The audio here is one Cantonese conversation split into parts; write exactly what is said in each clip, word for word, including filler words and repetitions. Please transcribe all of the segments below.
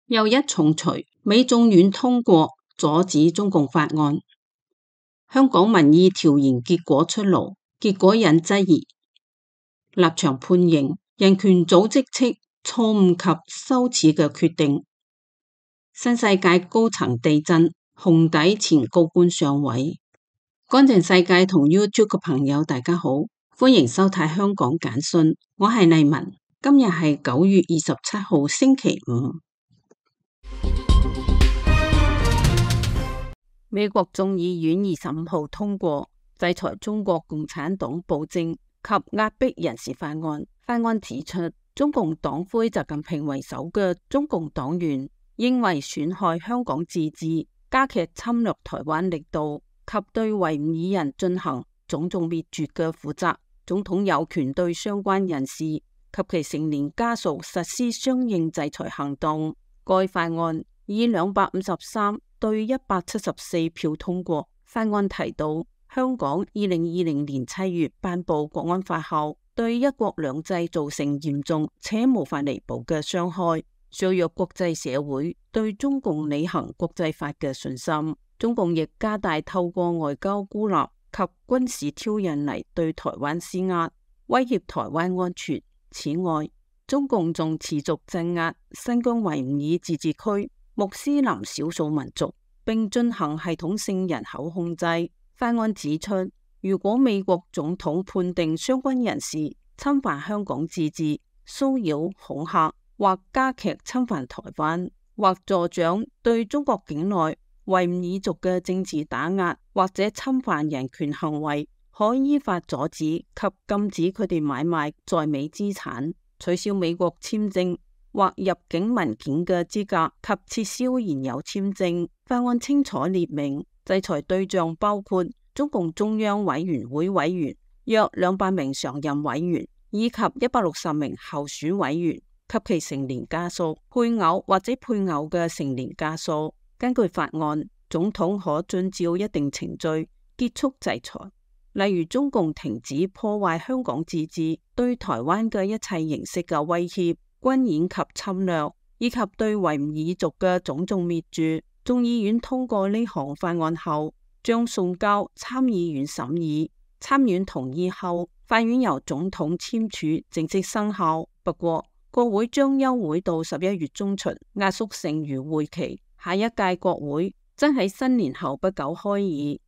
又一重錘，美眾院通過阻止中共法案。香港民意調研結果出爐，結果引質疑，立場判刑，人權組織稱錯誤及羞恥嘅決定。新世界高層地震，紅底前高官上位。乾淨世界同 YouTube 嘅朋友大家好，歡迎收睇香港簡訊，我係麗文。今日係九月二十七號星期五。美國眾議院二十五號通過制裁中國共產黨暴政及壓迫人士法案。法案指出，中共黨魁習近平為首嘅中共黨員認為損害香港自治、加劇侵略台灣力度及對維吾爾人進行種族滅絕嘅負責，總統有權對相關人士及其成年家屬實施相應制裁行動。該法案以兩百五十三對一百七十四票通過。法案提到，香港二零二零年七月頒布國安法後，對一國兩制造成嚴重且無法彌補嘅傷害，削弱國際社會對中共履行國際法嘅信心。中共亦加大透過外交孤立及軍事挑釁嚟對台灣施壓，威脅台灣安全。此外，中共仲持續鎮壓新疆維吾爾自治區穆斯林少數民族，並進行系統性人口控制。法案指出，如果美國總統判定相關人士侵犯香港自治、騷擾、恐嚇或加劇侵犯台灣，或助長對中國境內維吾爾族嘅政治打壓或者侵犯人權行為，可依法阻止及禁止佢哋買賣在美資產，取消美國簽證或入境文件嘅資格及撤銷現有簽證。法案清楚列明，制裁對象包括中共中央委員會委員、約兩百名常任委員以及一百六十名候選委員及其成年家屬、配偶或者配偶嘅成年家屬。根據法案，總統可遵照一定程序結束制裁，例如中共停止破壞香港自治、對台灣嘅一切形式嘅威脅、軍演及侵略，以及對維吾爾族嘅種族滅絕。眾議院通過呢項法案後，將送交參議院審議，參院同意後，法院由總統簽署正式生效。不過，國會將休會到十一月中旬，壓縮剩餘會期。下一屆國會將喺新年後不久開議。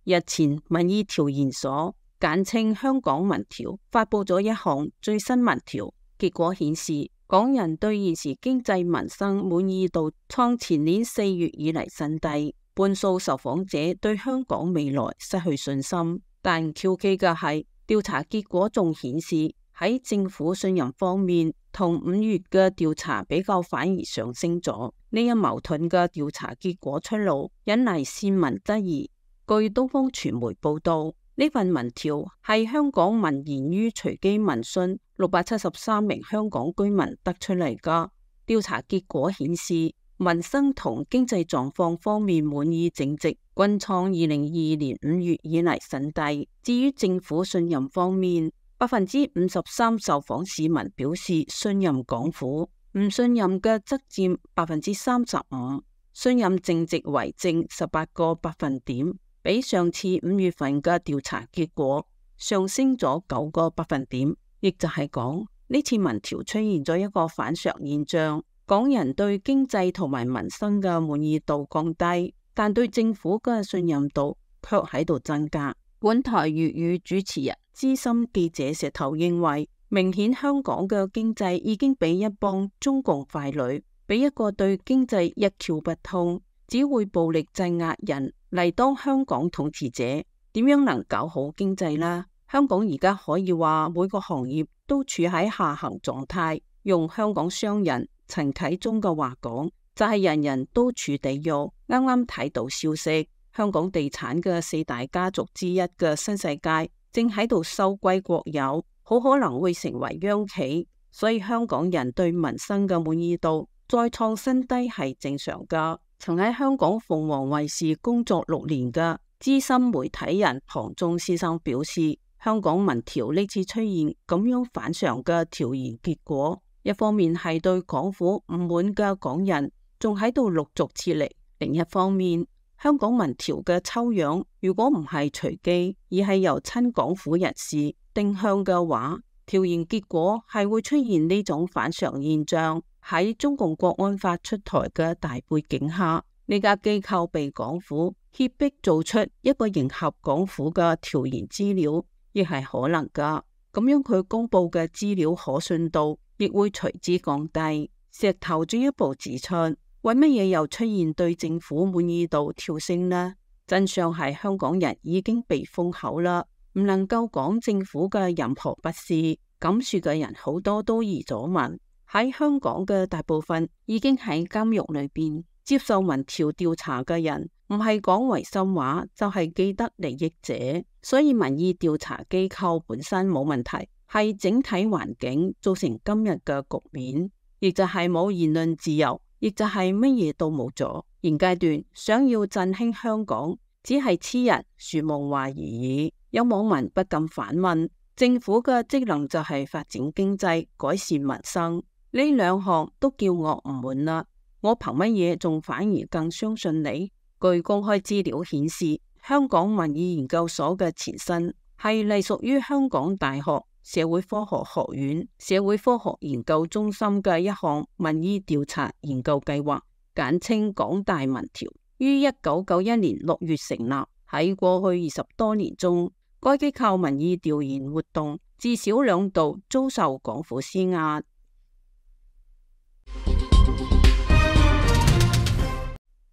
日前，民意調研所簡稱香港民調發佈咗一項最新民調，結果顯示，港人對現時經濟民生滿意度創前年四月以嚟新低，半數受訪者對香港未來失去信心。但蹊蹺嘅係，調查結果仲顯示喺政府信任方面，同五月嘅調查比較反而上升咗。呢一矛盾嘅調查結果出爐，引嚟市民質疑。據東方傳媒報道，呢份民調係香港民研於隨機民訊六百七十三名香港居民得出嚟㗎。調查結果顯示，民生同經濟狀況方面滿意淨值均創二零二二年五月以嚟新低。至於政府信任方面，百分之五十三受訪市民表示信任港府，唔信任嘅則佔百分之三十五，信任淨值為正十八個百分點。比上次五月份嘅調查結果上升咗九個百分點，亦就係講呢次民調出現咗一個反常現象，港人對經濟同埋民生嘅滿意度降低，但對政府嘅信任度卻喺度增加。本台粵語主持人資深記者石頭認為，明顯香港嘅經濟已經俾一幫中共傀儡，俾一個對經濟一竅不通，只會暴力鎮壓人嚟當香港統治者，點樣能搞好經濟呢？香港而家可以話每個行業都處喺下行狀態，用香港商人陳啟宗嘅話講，就係人人都處地獄。啱啱睇到消息，香港地產嘅四大家族之一嘅新世界正喺度收歸國有，好可能會成為央企，所以香港人對民生嘅滿意度再創新低係正常㗎。曾喺香港鳳凰衛視工作六年嘅資深媒體人龐中先生表示，香港民調呢次出現咁樣反常嘅調研結果，一方面係對港府唔滿嘅港人仲喺度陸續撤離，另一方面，香港民調嘅抽樣如果唔係隨機，而係由親港府人士定向嘅話，調研結果係會出現呢種反常現象。喺中共國安法出台嘅大背景下，呢家機構被港府脅迫做出一個迎合港府嘅調研資料，亦係可能噶。咁樣佢公布嘅資料可信度亦會隨之降低。石頭進一步指出，為乜嘢又出現對政府滿意度跳升呢？真相係香港人已經被封口啦，唔能夠講政府嘅任何不是。咁說嘅人好多都移咗民，喺香港嘅大部分已經喺監獄裏邊。接受民調調查嘅人唔係講違心話，就係既得利益者。所以民意調查機構本身冇問題，係整體環境造成今日嘅局面，亦就係冇言論自由，亦就係乜嘢都冇咗。現階段想要振興香港，只係痴人說夢話而已。有網民不禁反問，政府嘅職能就係發展經濟、改善民生，呢兩項都叫我唔滿啦。我憑乜嘢仲反而更相信你？據公開資料顯示，香港民意研究所嘅前身係隸屬於香港大學社會科學學院社會科學研究中心嘅一項民意調查研究計劃，簡稱港大民調，於一九九一年六月成立。喺過去二十多年中，該機構民意調研活動至少兩度遭受港府施壓。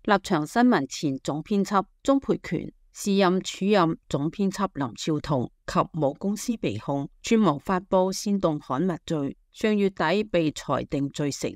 立場新聞前總編輯鍾沛權、時任署任總編輯林紹桐及母公司被控串謀發布煽動刊物罪，上月底被裁定罪成。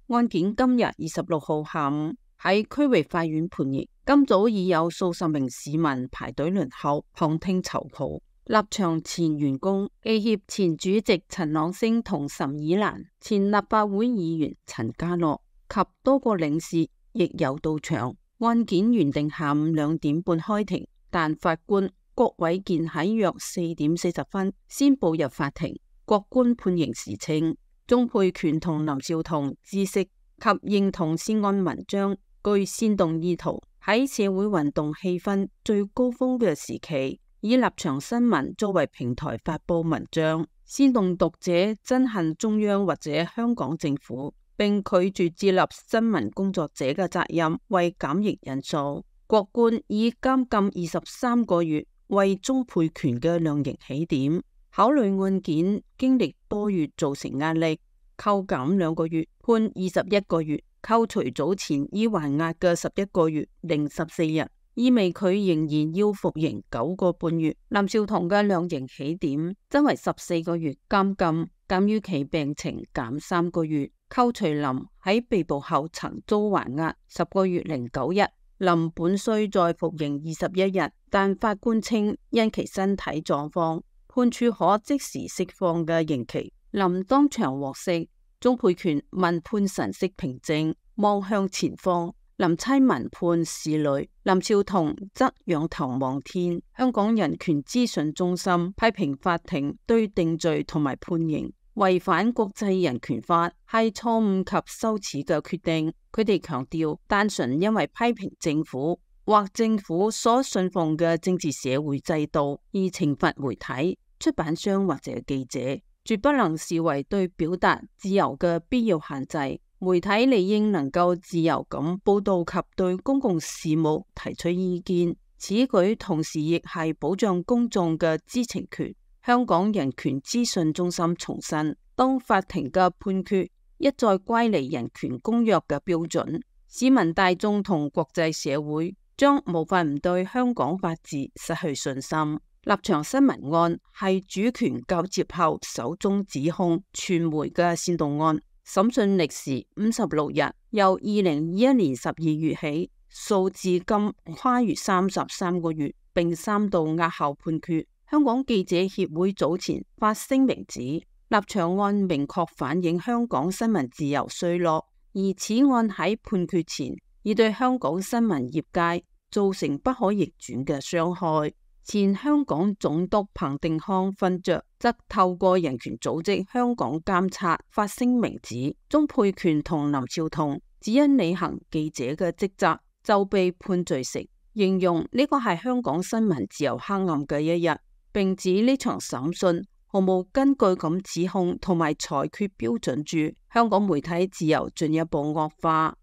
案件今日二十六號下午喺區域法院判刑。今早已有數十名市民排隊輪候旁聽籌抱。立場前員工、記協前主席陳朗升同岑以蘭、前立法會議員陳家洛及多個領事亦有到場。案件原定下午兩點半開庭，但法官郭偉健喺約四點四十分先步入法庭。郭官判刑時稱，鍾沛權同林紹桐知悉及認同涉案文章具煽動意圖，喺社會運動氣氛最高峰嘅時期，以立場新聞作為平台發佈文章，煽動讀者憎恨中央或者香港政府，並拒絕接納新聞工作者嘅責任為減刑因素。郭官以監禁二十三個月為鍾沛權嘅量刑起點，考慮案件經歷多月造成壓力，扣減兩個月，判二十一個月，扣除早前已還押嘅十一個月零十四日，意味佢仍然要服刑九個半月。林紹桐嘅量刑起點增為十四個月監禁，鑒於其病情減三個月，扣除林喺被捕後曾遭還押十個月零九日，林本需再服刑二十一日，但法官稱因其身體狀況，判處可即時釋放嘅刑期。林當場獲釋。鍾沛權聞判神色平靜，望向前方。林妻聞判拭淚，林紹桐則仰頭望天。香港人權資訊中心批評法庭對定罪同埋判刑違反國際人權法，係錯誤及羞恥嘅決定。佢哋強調，單純因為批評政府或政府所信奉嘅政治社會制度而懲罰媒體、出版商或者記者，絕不能視為對表達自由嘅必要限制。媒體理應能夠自由咁報道及對公共事務提出意見，此舉同時亦係保障公眾嘅知情權。香港人權資訊中心重申，當法庭嘅判決一再乖離人權公約嘅標準，市民大眾同國際社會將無法唔對香港法治失去信心。立場新聞案係主權交接後首宗指控傳媒嘅煽動案，審訊歷時五十六日，由二零二一年十二月起，數至今跨越三十三個月，並三度押後判決。香港記者協會早前發聲明指，立場案明確反映香港新聞自由衰落，而此案喺判決前已對香港新聞業界造成不可逆轉嘅傷害。前香港總督彭定康勳爵則透過人權組織香港監察發聲明指，鍾沛權同林紹桐只因履行記者嘅職責就被判罪成，形容呢個係香港新聞自由黑暗嘅一日，並指呢場審訊毫無根據咁指控同埋裁決標準住香港媒體自由進一步惡化。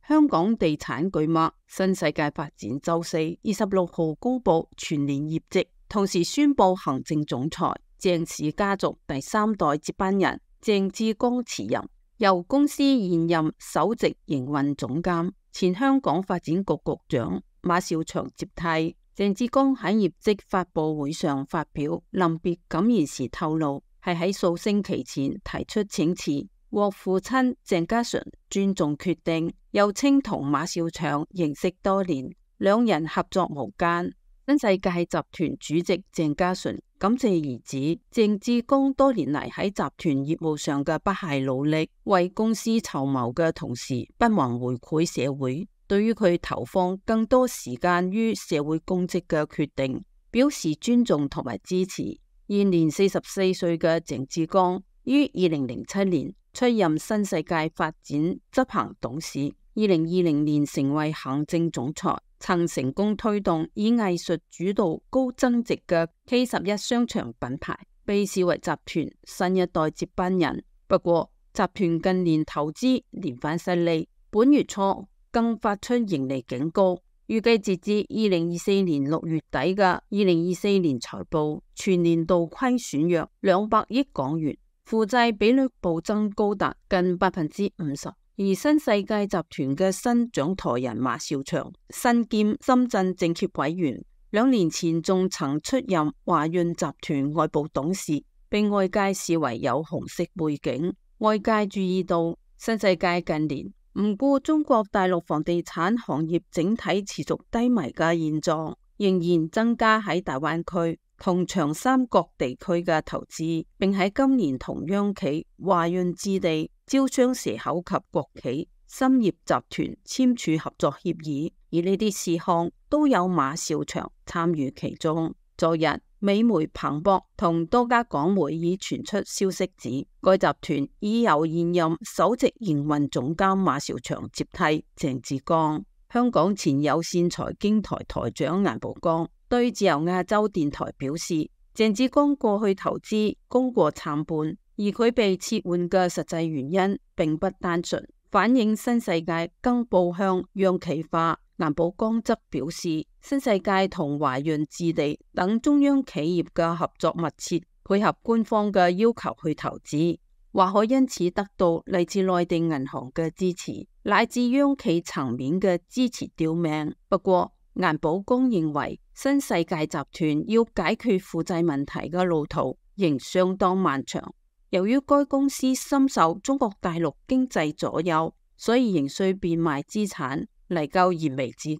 香港地產巨擘新世界發展周四二十六號公布全年業績，同時宣布行政總裁鄭氏家族第三代接班人鄭志剛辭任，由公司現任首席營運總監前香港發展局局長馬紹祥接替。鄭志剛喺業績發佈會上發表臨別感言時透露，係喺數星期前提出請辭，獲父親鄭家純尊重決定，又稱同馬紹祥認識多年，兩人合作無間。新世界集團主席鄭家純感謝兒子鄭志剛多年嚟喺集團業務上嘅不懈努力，為公司籌謀嘅同時不忘回饋社會，對於佢投放更多時間於社會公職嘅決定表示尊重同埋支持。現年四十四歲嘅鄭志剛於二零零七年出任新世界發展執行董事，二零二零年成為行政總裁，曾成功推動以藝術主導高增值嘅 K 十一商場品牌，被視為集團新一代接班人。不過，集團近年投資連番失利，本月初更發出盈利警告，預計截至二零二四年六月底嘅二零二四年財報全年度虧損約兩百億港元，負債比率暴增高達近百分之五十。而新世界集團嘅新掌舵人馬紹祥，身兼深圳政協委員，兩年前仲曾出任華潤集團外部董事，被外界視為有紅色背景。外界注意到新世界近年唔顧中國大陸房地產行業整體持續低迷嘅現狀，仍然增加喺大灣區同長三角地區嘅投資，並喺今年同央企華潤置地、招商蛇口及國企深業集團簽署合作協議，而呢啲事項都有馬紹祥參與其中。昨日，美媒彭博同多家港媒已傳出消息指，該集團已由現任首席營運總監馬紹祥接替鄭志剛。香港前有線財經台台長顏寶剛對自由亞洲電台表示，鄭志剛過去投資功過參半，而佢被撤換嘅實際原因並不單純，反映新世界更步向央企化。顏寶剛則表示，新世界同華潤置地等中央企業嘅合作密切，配合官方嘅要求去投資，或可因此得到嚟自內地銀行嘅支持，乃至央企層面嘅支持吊命。不過，顏寶剛認為，新世界集團要解決負債問題嘅路途仍相當漫長。由於該公司深受中國大陸經濟左右，所以仍需變賣資產嚟救燃眉之急。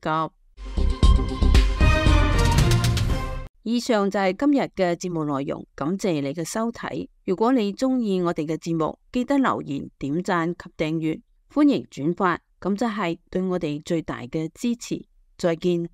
以上就係今日嘅節目內容，感謝你嘅收睇。如果你鍾意我哋嘅節目，記得留言、點讚及訂閱，歡迎轉發，咁就係對我哋最大嘅支持。再見。